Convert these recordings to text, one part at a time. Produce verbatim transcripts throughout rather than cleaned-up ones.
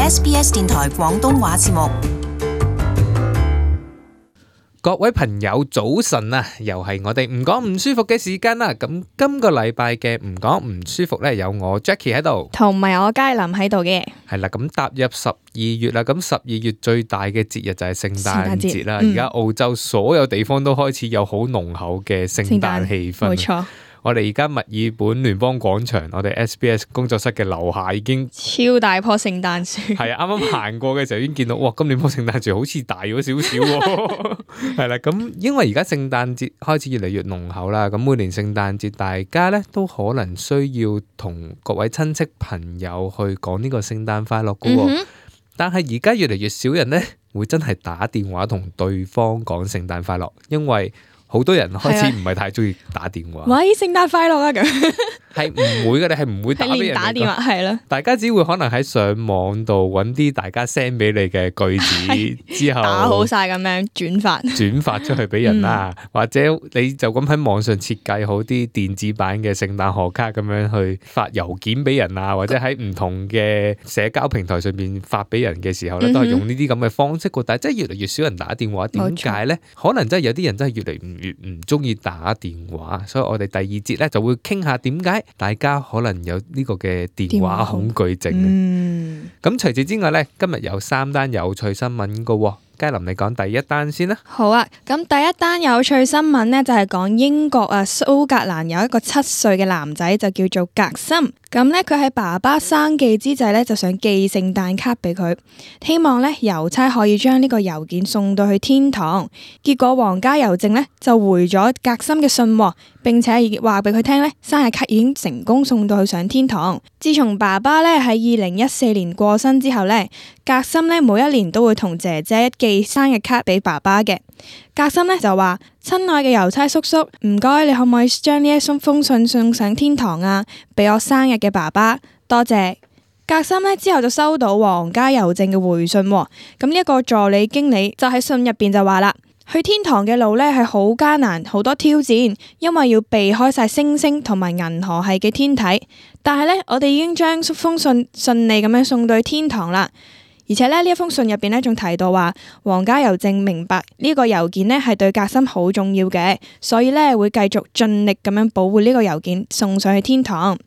S B S 電台廣東話節目。各位朋友早晨啊，又係我哋唔講唔舒服嘅時間啦。咁今個禮拜嘅唔講唔舒服呢，有我 Jackie 喺度，同埋我佳琳喺度嘅。係啦，咁踏入十二月啦，咁十二月最大嘅節日就係聖誕節啦。而家澳洲所有地方都開始有好濃厚嘅聖誕氣氛。冇錯。我哋而家墨爾本聯邦廣場，我哋 S B S 工作室嘅樓下已經超大棵聖誕樹。係啊，啱啱行過嘅時候已經見到，哇！今年棵聖誕樹好似大咗少少喎。係啦，咁因為而家聖誕節開始越嚟越濃厚啦，咁每年聖誕節大家咧都可能需要同各位親戚朋友去講呢個聖誕快樂㗎喎。嗯、但係而家越嚟越少人咧會真係打電話同對方講聖誕快樂，因為好多人開始唔係太中意打電話。喂，聖誕快樂啊！咁係唔會嘅，你係唔會打俾人打電話，係咯。大家只會可能喺上網度揾啲大家 send 俾你嘅句子之後打好晒咁樣轉發轉發出去俾人啦，嗯、或者你就咁喺網上設計好啲電子版嘅聖誕賀卡咁樣去發郵件俾人啊，或者喺唔同嘅社交平台上面發俾人嘅時候咧，都係用呢啲咁嘅方式。但係真係越嚟越少人打電話，點解咧？可能真係有啲人真係越嚟越唔中意打電話，所以我哋第二節咧就會傾下點解大家可能有呢個嘅電話恐懼症。嗯，咁除此之外咧，今日有三單有趣新聞㗎。佳琳，你講第一單先啦。好啊，咁第一單有趣新聞呢，就係講英國啊蘇格蘭有一個七歲嘅男仔就叫做格森，咁呢，佢喺爸爸生忌之際呢，就想寄聖誕卡俾佢，希望呢郵差可以將呢個郵件送到去天堂。結果皇家郵政呢，就回咗格森嘅信，並且話俾佢聽呢，生日卡已經成功送到去上天堂。自從爸爸呢喺二零一四年過身之後呢，格森呢每一年都會同姐姐寄生日卡俾爸爸嘅。格森呢就話：親愛嘅郵差叔叔，唔該，你可唔可以將呢一封信送上天堂啊？俾我生日嘅爸爸，多謝。格森呢之後就收到皇家郵政嘅回信，咁呢一個助理經理就喺信入邊就話啦：去天堂嘅路呢係好艱難，好多挑戰，因為要避開晒星星同埋銀河系嘅天體。但係呢，我哋已經將封信順利咁樣送到去天堂啦。而且咧，呢一封信入邊咧，仲提到話皇家郵政明白呢個郵件咧係對格森好重要嘅，所以咧會繼續盡力咁樣保護呢個郵件送上去天堂。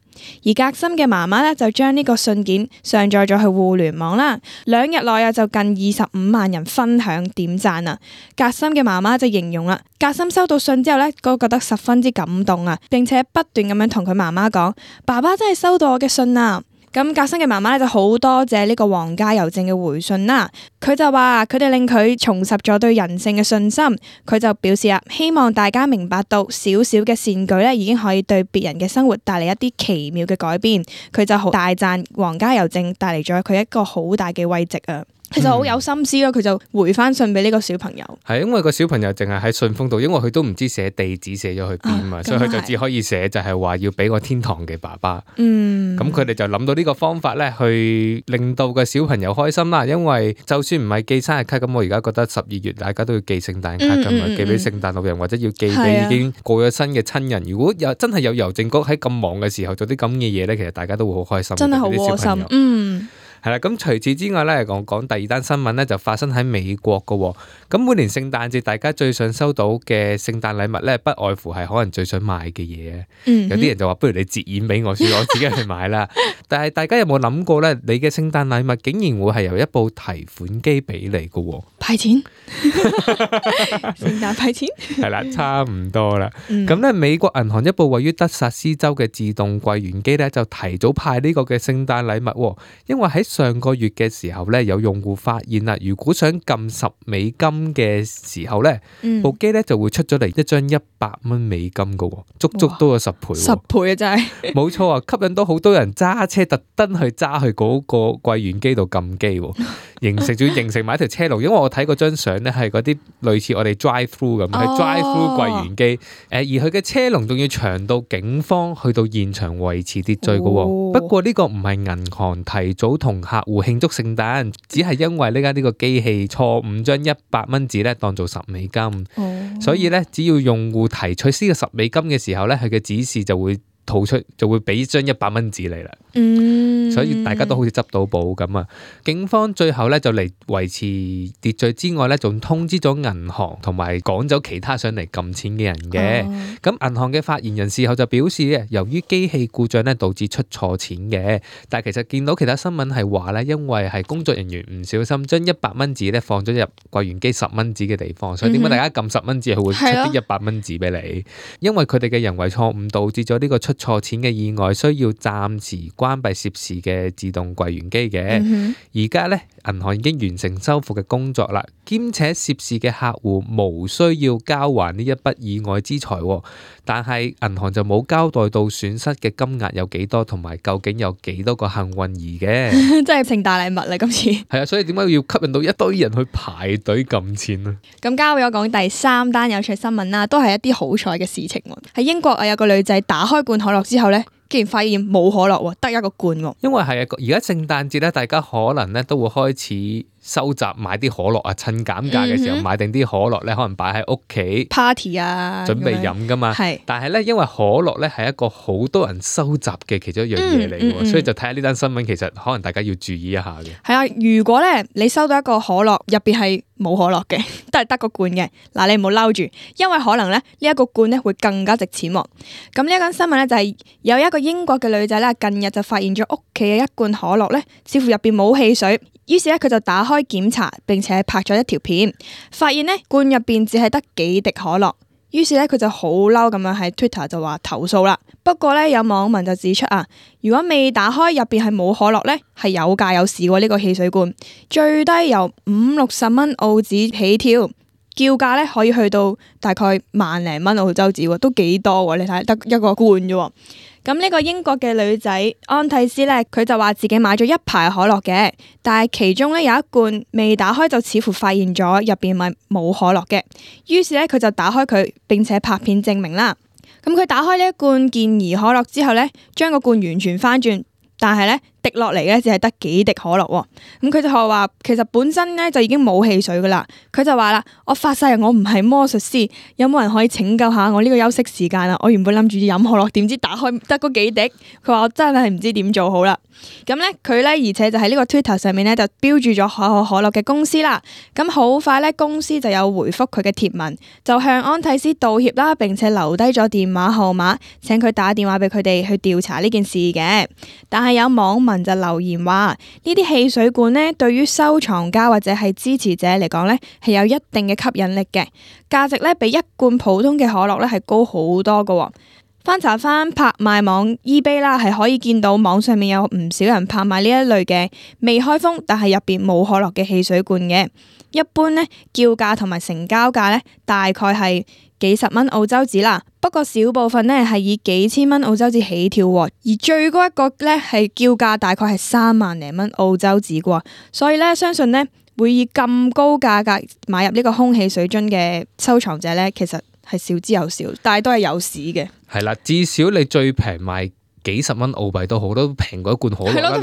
而格森嘅媽媽咧就將呢個信件上載咗去互聯網啦，兩日內啊就近二十五萬人分享點讚啊。格森嘅媽媽就形容啦，格森收到信之後咧，都覺得十分之感動啊，並且不斷咁樣同佢媽媽講：爸爸真係收到我嘅信啊！咁格森嘅媽媽咧就好多謝呢個皇家郵政嘅回信啦，佢就話佢哋令佢重拾咗對人性嘅信心，佢就表示啊，希望大家明白到小小嘅善舉咧已經可以對別人嘅生活帶嚟一啲奇妙嘅改變，佢就好大讚皇家郵政帶嚟咗佢一個好大嘅慰藉啊。其實好有心思咯，佢就回翻信俾呢個小朋友。係因為個小朋友淨係喺信封度，因為佢都唔知寫地址寫咗去邊嘛，啊、所以佢就只可以寫就係話要俾個天堂嘅爸爸。嗯，咁佢哋就諗到呢個方法咧，去令到個小朋友開心啦。因為就算唔係寄生日卡，咁我而家覺得十二月大家都要寄聖誕卡噶嘛，嗯嗯嗯、寄俾聖誕老人或者要寄俾已經過咗身嘅親人。啊、如果有真係有郵政局喺咁忙嘅時候做啲咁嘅嘢咧，其實大家都會好開心。真係好窩心。嗯。係啦，咁除此之外咧，講講第二單新聞咧，就發生喺美國噶。咁每年聖誕節，大家最想收到嘅聖誕禮物咧，不外乎係可能最想買嘅嘢。嗯、哼有啲人就話，不如你折現俾我，算我自己去買啦。但係大家有冇諗過咧？你嘅聖誕禮物竟然會係由一部提款機俾你噶？派錢？聖誕派錢？係啦，差唔多啦。咁咧、嗯，美國銀行一部位於德薩斯州嘅自動櫃員機咧，就提早派呢個嘅聖誕禮物，因為喺上個月嘅時候咧，有用戶發現啦，如果想撳十美金嘅時候咧，嗯、部機咧就會出咗嚟一張一百蚊美金噶，足足多咗十倍。十倍啊，真係！冇錯啊，吸引到好多人揸車特登去揸去嗰個櫃員機度撳機，形成仲要形成埋一條車龍。因為我睇嗰張相咧係嗰啲類似我哋 drive through 咁，係 drive through 櫃員機。誒，而佢嘅車龍仲要長到警方去到現場維持秩序噶。哦、不過呢個唔係銀行提早同客戶慶祝聖誕，只係因為呢間呢個機器錯誤將一百蚊紙咧當做十美金，哦、所以咧只要用戶提取呢個十美金嘅時候咧，佢嘅指示就會吐出，就會俾張一百蚊紙你啦。嗯，嗯、所以大家都好似執到寶咁啊。警方最後咧就嚟維持秩序之外咧，仲通知咗銀行同埋趕走其他上嚟撳錢嘅人嘅。咁、哦、銀行嘅發言人事後就表示咧，由於機器故障咧導致出錯錢嘅，但係其實見到其他新聞係話咧，因為係工作人員唔小心將一百蚊紙咧放咗入櫃員機十蚊紙嘅地方，所以點解大家撳十蚊紙佢會出啲一百蚊紙俾你？因為佢哋嘅人為錯誤導致咗呢個出錯錢嘅意外，需要暫時關閉涉事嘅自動櫃員機嘅。而家咧銀行已經完成修復嘅工作啦，兼且涉事嘅客戶無需要交還呢一筆意外之財，但係銀行就冇交代到損失嘅金額有幾多，同埋究竟有幾多個幸運兒嘅。真係成大禮物啦！今次係啊，所以點解要吸引到一堆人去排隊撳錢啊？咁交俾我講第三單有趣新聞啦，都係一啲好彩嘅事情。喺英國啊，有個女仔打開罐可樂之後咧，竟然發現冇可樂，得一個罐。因為係啊，而家聖誕節咧，大家可能咧都會開始收集買啲可樂啊，趁減價嘅時候買定啲可樂咧，可能擺喺屋企 party 啊，準備飲噶嘛。係，但係咧，因為可樂咧係一個好多人收集嘅其中一樣嘢嚟嘅，嗯嗯嗯、所以就睇下呢單新聞，其實可能大家要注意一下嘅。係啊，如果咧你收到一個可樂入邊係冇可樂嘅，都係得個罐嘅，嗱你唔好嬲住，因為可能咧呢一個罐咧會更加值錢。咁呢一間新聞咧就係有一個英國嘅女仔咧，近日就發現咗屋企嘅一罐可樂咧，似乎入邊冇汽水。於是咧，佢就打開檢查，並且拍咗一條片，發現呢罐入邊只係得幾滴可樂。於是咧，佢就好嬲咁樣喺 Twitter 就話投訴啦。不過咧，有網民就指出啊，如果未打開入邊係冇可樂咧，係有價有市喎。呢個汽水罐最低由五六十蚊澳紙起跳，叫價咧可以去到大概萬零蚊澳洲紙，都幾多喎？你睇得一個罐啫。咁呢個英國嘅女仔安蒂斯咧，佢就話自己買咗一排可樂嘅，但係其中咧有一罐未打開就似乎發現咗入邊咪冇可樂嘅，於是咧佢就打開佢，並且拍片證明啦。咁佢打開呢一罐健怡可樂之後咧，將個罐完全翻轉，但係咧滴落嚟嘅只係得幾滴可樂喎。咁佢就話其實本身咧就已經冇汽水噶啦。佢就話啦，我發誓我唔係魔術師，有冇人可以拯救下我呢個休息時間啊？我原本諗住飲可樂，點知打開得嗰幾滴。佢話我真係唔知點做好啦。咁咧佢咧而且就喺呢個 Twitter 上面咧就標注咗可口可樂嘅公司啦。咁好快咧公司就有回覆佢嘅貼文，就向安蒂斯道歉啦，並且留低咗電話號碼，請佢打電話俾佢哋去調查呢件事嘅。但係有網民就留言話呢啲汽水罐呢，對於收藏家或者係支持者嚟講呢，係有一定嘅吸引力嘅，價值呢，比一罐普通嘅可樂呢係高好多噶。翻查翻拍賣網 eBay 啦，係可以見到網上面有唔少人拍賣呢一類嘅未開封但係入邊冇可樂嘅汽水罐嘅。一般呢，叫價同埋成交價呢，大概係幾十蚊澳洲紙啦，不過少部分呢係以幾千蚊澳洲紙起跳，而最高一個呢係叫價大概係三萬零蚊澳洲紙啩，所以呢，相信呢會以咁高價格買入呢個空氣水樽嘅收藏者呢，其實係少之又少，但係都係有市嘅。係啦，至少你最平賣幾十蚊澳幣都好，都平過一罐可樂啦。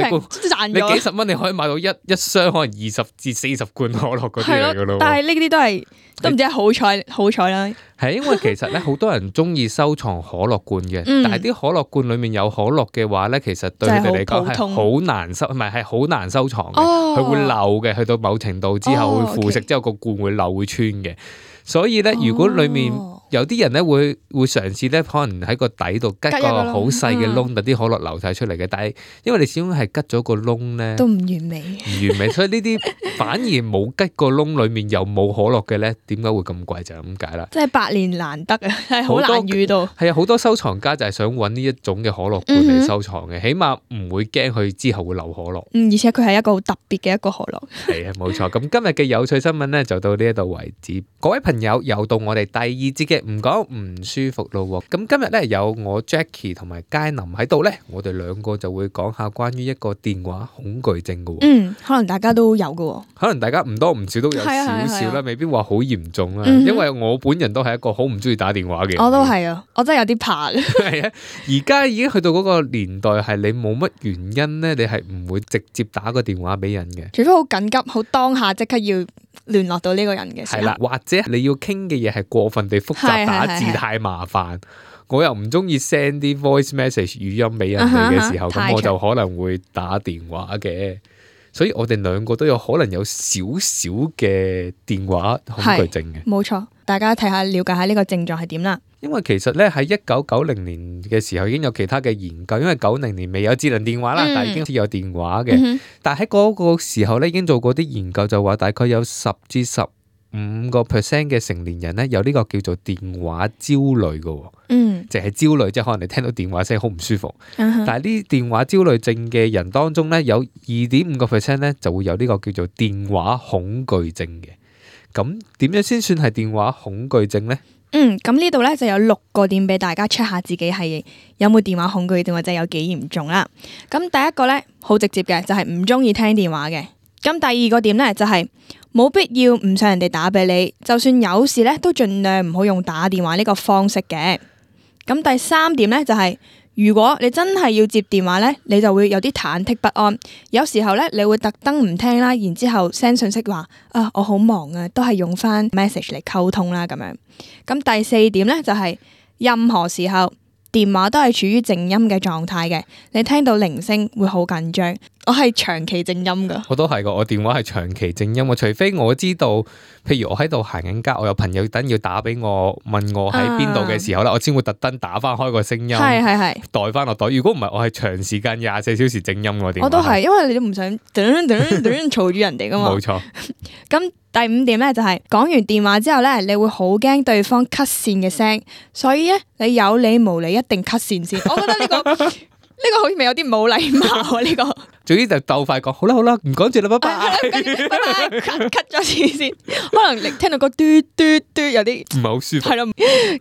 你你幾十蚊你可以買到一一箱可能二十至四十罐可樂嗰啲嚟噶咯。但係呢啲都係都唔知係好彩好彩啦。係因為其實咧好多人中意收藏可樂罐嘅，嗯、但係啲可樂罐裏面有可樂嘅話咧，其實對佢哋嚟講係好難收，唔係係好難收藏嘅，佢、哦、會漏嘅，去到某程度之後、哦、會腐蝕，之後個罐會漏會穿嘅。所以咧，如果裏面有啲人咧會會嘗試咧，可能喺個底度吉個好細嘅窿，等啲可樂流晒出嚟嘅。但係因為你始終係吉咗個窿咧，都唔完美，唔完美。所以呢啲反而冇吉個窿，裏面又冇可樂嘅咧，點解會咁貴就係咁解啦。即係百年難得啊，係好難遇到。係啊，好多收藏家就係想揾呢一種嘅可樂罐嚟收藏嘅，嗯、起碼唔會驚佢之後會流可樂。嗯，而且佢係一個好特別嘅一個可樂。係啊，冇錯。咁今日嘅有趣新聞咧就到呢一度為止。各位朋友。有又到我哋第二節嘅唔講唔舒服咯，咁今日咧有我 Jackie 同埋佳琳喺度咧，我哋兩個就會講下關於一個電話恐懼症嘅。嗯，可能大家都有嘅，可能大家唔多唔少都有少少啦，未必話好嚴重啦。嗯、因為我本人都係一個好唔中意打電話嘅人。我都係啊，我真係有啲怕嘅。係啊，而家已經去到嗰個年代，係你冇乜原因咧，你係唔會直接打個電話俾人嘅，除非好緊急、好當下即刻要聯絡到呢個人嘅時候。係啦，或者你要傾嘅嘢係過分地複雜，係係係打字太麻煩，我又唔中意 send 啲 voice message 語音俾人哋嘅時候，咁、啊哈啊哈我就可能會打電話嘅。所以我哋兩個都有可能有少少嘅電話恐懼症嘅。冇錯，大家睇下了解下呢個症狀係點啦。因為其實咧喺一九九零年嘅時候已經有其他嘅研究，因為九零年未有智能電話啦，嗯、但係已經有電話嘅。嗯、但係喺嗰個時候咧已經做過啲研究，就話大概有十至十五個 percent 嘅成年人咧有呢個叫做電話焦慮嘅。嗯，淨係焦慮，即係可能你聽到電話聲好唔舒服。嗯、但係呢電話焦慮症嘅人當中咧，有二點五個 percent 咧就會有呢個叫做電話恐懼症嘅。咁點樣先算係電話恐懼症咧？嗯，咁呢度咧就有六個點俾大家 check 下自己係有冇電話恐懼症或者有幾嚴重啦。咁第一個咧好直接嘅就係唔中意聽電話嘅。咁第二個點咧就係、是、冇必要唔想人哋打俾你，就算有事咧都盡量唔好用打電話呢個方式嘅。咁第三點咧就係、是、如果你真係要接電話咧，你就會有啲忐忑不安，有時候咧你會特登唔聽啦，然之後 send 信息話啊我好忙啊，都係用翻 message 嚟溝通啦咁樣。咁第四點咧就係、是、任何時候電話都係處於靜音嘅狀態嘅，你聽到鈴聲會好緊張。我係長期靜音噶，我都係噶，我電話係長期靜音。除非我知道，譬如我喺度行緊街，我有朋友等要打俾我，問我喺邊度嘅時候咧，啊、我先會特登打翻開個聲音，係係係袋翻落袋。如果唔係，我係長時間廿四小時靜音我電話。我都係，因為你都唔想等等等嘈住人哋噶嘛。冇錯。咁第五點咧就係、是、講完電話之後咧，你會好驚對方 cut 線嘅聲，所以咧你有理無理一定 cut 線先。我覺得呢、這個。呢個好似咪有啲冇禮貌啊！呢、這個，總之就鬥快講，好啦好啦，唔講住啦，拜拜，拜拜，cut cut 咗線先，可能你聽到個嘟嘟嘟有啲唔係好舒服。係咯，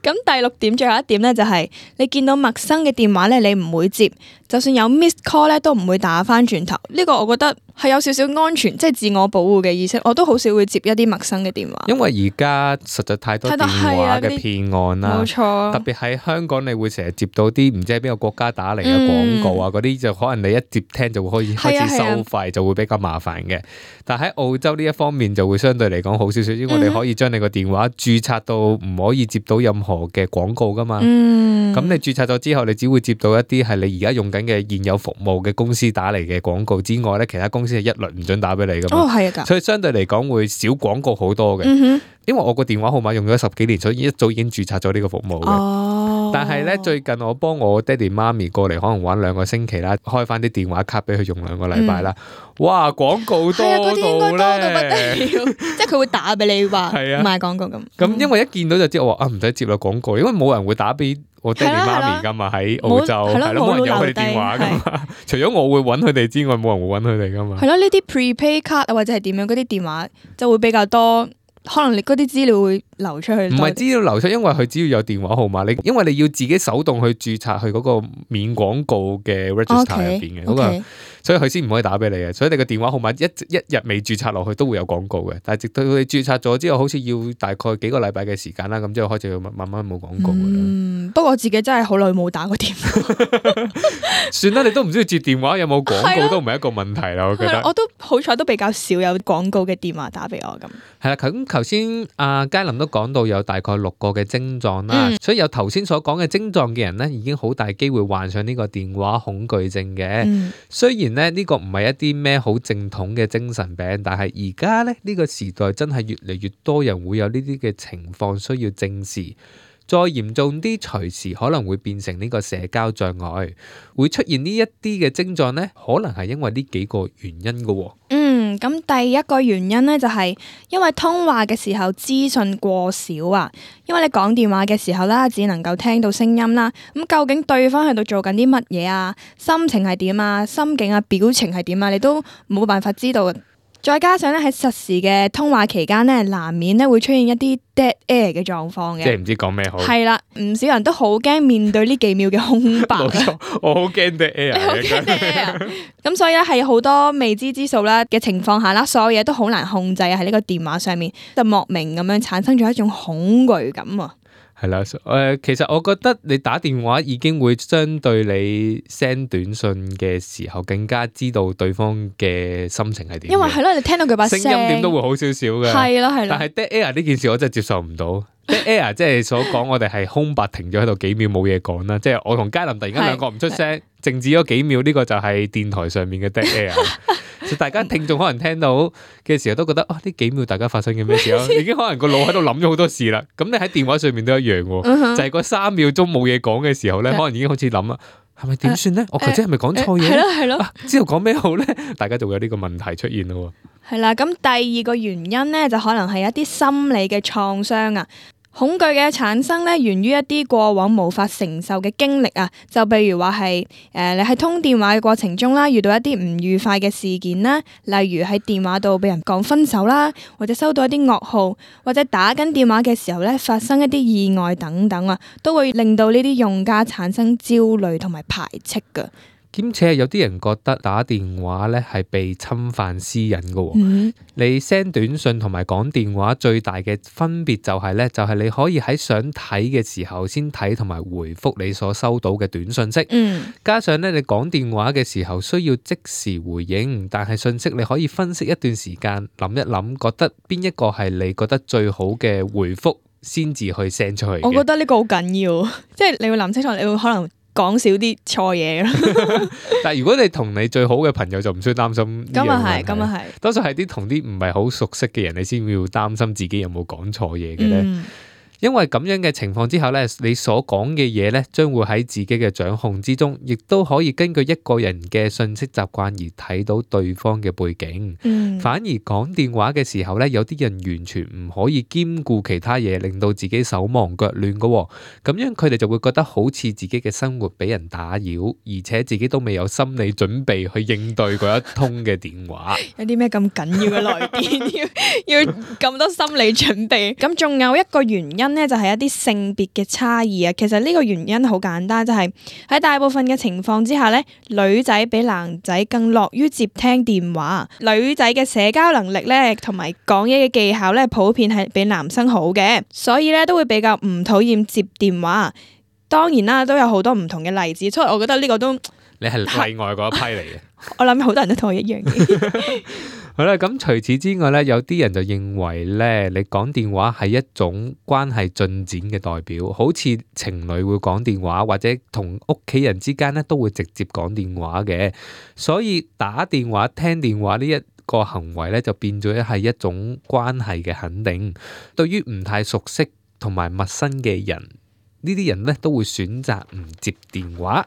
咁第六點最後一點咧就係、是、你見到陌生嘅電話咧，你唔會接，就算有 miss call 咧都唔會打翻轉頭。呢、這個我覺得係有少少安全，即係自我保護嘅意識。我都好少會接一啲陌生嘅電話，因為而家實在太多電話嘅騙案啦，冇錯。特別喺香港，你會成日接到啲唔知喺邊個國家打嚟嘅廣廣告啊，嗰啲就可能你一接聽就會開始開始收費，就會比較麻煩嘅。但喺澳洲呢一方面就會相對嚟講好少少，因為我哋可以將你個電話註冊到唔可以接到任何嘅廣告噶嘛。咁、嗯、你註冊咗之後，你只會接到一啲係你而家用緊嘅現有服務嘅公司打嚟嘅廣告之外咧，其他公司係一律唔准打俾你噶嘛。哦，係啊，所以相對嚟講會少廣告好多嘅。嗯哼，因為我個電話號碼用咗十幾年，所以一早已經註冊咗呢個服務嘅。哦，但係咧最近我幫我爹哋媽咪過嚟，可能玩兩個星期啦，開翻啲電話卡俾佢用兩個禮拜啦。嗯、哇，廣告多到咧，多到不得了，即係佢會打俾你話賣廣告咁。咁、嗯、因為一見到就知我話啊，唔使接啦廣告，因為冇人會打俾我爹哋媽咪噶嘛，喺澳洲係咯，冇人有佢哋電話噶嘛。除咗我會揾佢哋之外，冇人會揾佢哋噶嘛。係咯，呢啲 prepaid 卡啊或者係點樣嗰啲電話就會比較多。可能你嗰啲資料會流出去，唔係資料流出，因為佢只要有電話號碼，你因為你要自己手動去註冊去嗰個免廣告嘅 register 入邊嘅嗰個，所以佢先唔可以打俾你嘅。所以你個電話號碼一一日未註冊落去都會有廣告嘅，但係直到佢註冊咗之後，好似要大概幾個禮拜嘅時間啦，咁之後開始要慢慢冇廣告噶啦。嗯，不過我自己真係好耐冇打過電話。算啦，你都唔知接電話有冇廣告都唔係一個問題啦，我覺得。我都好彩都比較少有廣告嘅電話打俾我咁。係啦，咁頭先阿佳琳都講到有大概六個嘅症狀啦，嗯、所以有頭先所講嘅症狀嘅人咧，已經好大機會患上呢個電話恐懼症嘅。嗯、雖然咧呢個唔係一啲咩好正統嘅精神病，但係而家咧呢個時代真係越嚟越多人會有呢啲嘅情況需要正視。再嚴重啲，隨時可能會變成呢個社交障礙，會出現呢一啲嘅症狀咧，可能係因為呢幾個原因嘅。嗯，咁第一個原因咧就係因為通話嘅時候資訊過少啊，因為你講電話嘅時候啦，只能夠聽到聲音啦，咁究竟對方喺度做緊啲乜嘢啊，心情係點啊，心境啊，表情係點啊，你都冇辦法知道。再加上咧喺實時嘅通話期間咧，難免咧會出現一啲 dead air 嘅狀況嘅，即係唔知講咩好。係啦，唔少人都好驚面對呢幾秒嘅空白。冇錯，我好驚 dead air。你好驚 dead air。咁所以咧係好多未知之數啦嘅情況下啦，所有嘢都好難控制喺呢個電話上面，就莫名咁樣產生咗一種恐懼感啊。係啦，誒、呃，其實我覺得你打電話已經會相對你 send 短信嘅時候更加知道對方嘅心情係點。因為係咯，你聽到佢把聲，聲音點都會好少少嘅。係咯係咯。但係 dead air 呢件事我真係接受唔到。dead air 即係所講，我哋係空白停咗喺度幾秒冇嘢講啦。即係我同嘉林突然間兩個唔出聲，靜止咗幾秒，呢個就係電台上面嘅 dead air。大家聽眾可能聽到嘅時候都覺得啊，呢幾秒大家發生嘅咩事咯？已經可能個腦喺度諗咗好多事啦。咁你喺電話上面都一樣喎，就係嗰三秒鐘冇嘢講嘅時候咧，可能已經開始諗啦，係咪點算咧？我頭先係咪講錯嘢？係咯係咯，之後講咩好咧？大家就會有呢個問題出現咯。係啦，咁第二個原因咧，就可能係一啲心理嘅創傷啊。恐懼嘅產生咧，源於一啲過往無法承受嘅經歷啊，就譬如話係誒你喺通電話嘅過程中啦，遇到一啲唔愉快嘅事件啦，例如喺電話度俾人講分手啦，或者收到一啲噩耗，或者打緊電話嘅時候咧發生一啲意外等等啊，都會令到呢啲用家產生焦慮同埋排斥㗎。兼且有啲人覺得打電話咧係被侵犯私隱嘅喎。嗯、你 send 短信同埋講電話最大嘅分別就係咧，就係你可以喺想睇嘅時候先睇同埋回覆你所收到嘅短信息。嗯、加上咧你講電話嘅時候需要即時回應，但係信息你可以分析一段時間，諗一諗，覺得邊一個係你覺得最好嘅回覆先至去 send 出去。我覺得呢個好緊要，即係你會諗清楚，你會可能講少啲錯嘢咯。但係如果你同你最好嘅朋友就唔需要擔心呢樣嘢。咁啊係，咁啊係。多數係啲同啲唔係好熟悉嘅人，你先要擔心自己有冇講錯嘢嘅咧。嗯因為咁樣嘅情況之下咧，你所講嘅嘢咧，將會喺自己嘅掌控之中，亦都可以根據一個人嘅信息習慣而睇到對方嘅背景。嗯、反而講電話嘅時候咧，有啲人完全唔可以兼顧其他嘢，令到自己手忙腳亂噶。咁樣佢哋就會覺得好似自己嘅生活俾人打擾，而且自己都未有心理準備去應對嗰一通嘅電話。有啲咩咁緊要嘅來電要要咁多心理準備？咁仲有一個原因咧，就係一啲性別嘅差異啊。其實呢個原因好簡單，就係喺大部分嘅情況之下咧，女仔比男仔更樂於接聽電話。女仔嘅社交能力咧，同埋講嘢嘅技巧咧，普遍係比男生好嘅，所以咧都會比較唔討厭接電話。當然啦，都有好多唔同嘅例子，所以我覺得呢個都你係例外嗰一批嚟嘅。我諗好多人都同我一樣嘅。好啦，咁除此之外咧，有啲人就認為咧，你講電話係一種關係進展嘅代表，好似情侶會講電話，或者同屋企人之間咧都會直接講電話嘅，所以打電話、聽電話呢一個行為咧，就變咗係一種關係嘅肯定。對於唔太熟悉同埋陌生嘅人，呢啲人咧都會選擇唔接電話。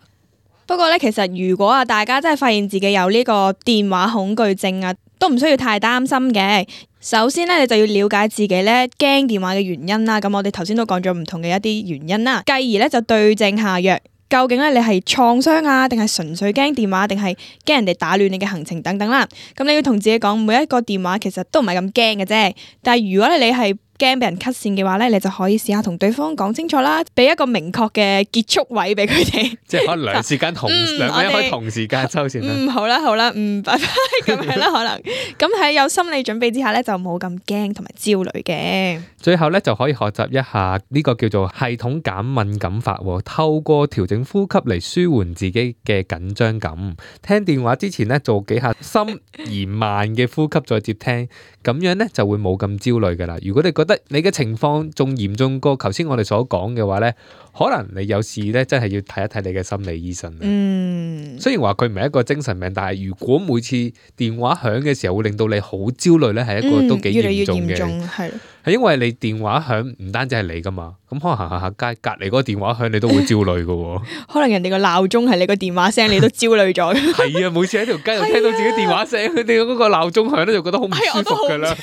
不過咧，其實如果啊，大家真係發現自己有呢個電話恐懼症啊，都唔需要太擔心嘅。首先咧，你就要了解自己咧驚電話嘅原因啦。咁我哋頭先都講咗唔同嘅一啲原因啦，繼而咧就對症下藥。究竟咧你係創傷啊，定係純粹驚電話，定係驚人哋打亂你嘅行程等等啦。咁你要同自己講，每一個電話其實都唔係咁驚嘅啫。但係如果你係驚俾人 cut 線嘅話咧，你就可以試下同對方講清楚啦，俾一個明確嘅結束位俾佢哋。即係可能兩時間同、嗯、兩個人可以同時間收線啦。嗯，好啦好啦，嗯，拜拜咁樣啦，可能咁喺有心理準備之下咧，就冇咁驚同埋焦慮嘅。最後咧就可以學習一下呢個叫做系統減敏感法，透過調整呼吸嚟舒緩自己嘅緊張感。聽電話之前咧做幾下深而慢嘅呼吸再接聽，咁樣咧就會冇咁焦慮噶啦。如果你覺得你嘅情況仲嚴重過頭先我哋所講嘅話咧，可能你有事咧真係要睇一睇你嘅心理醫生。嗯，雖然話佢唔係一個精神病，但係如果每次電話響嘅時候會令到你好焦慮咧，係一個都幾嚴重嘅。係、嗯、係因為你電話響唔單止係你噶嘛，咁可能行行下街隔籬嗰個電話響你都會焦慮噶。可能人哋個鬧鐘係你個電話聲，你都焦慮咗。係啊，每次喺條街度聽到自己電話聲，佢哋嗰個鬧鐘響咧就覺得好唔舒服噶啦。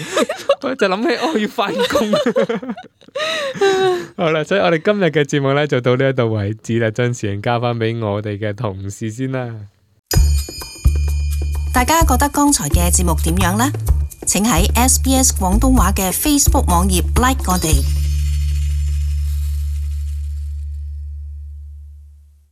我就諗起我要翻工。好啦，所以我哋今日嘅節目咧就到呢一度為止啦，將時間交翻俾我哋嘅同事先啦。大家覺得剛才嘅節目點樣呢？請喺 S B S 廣東話嘅 Facebook 網頁 like 我哋。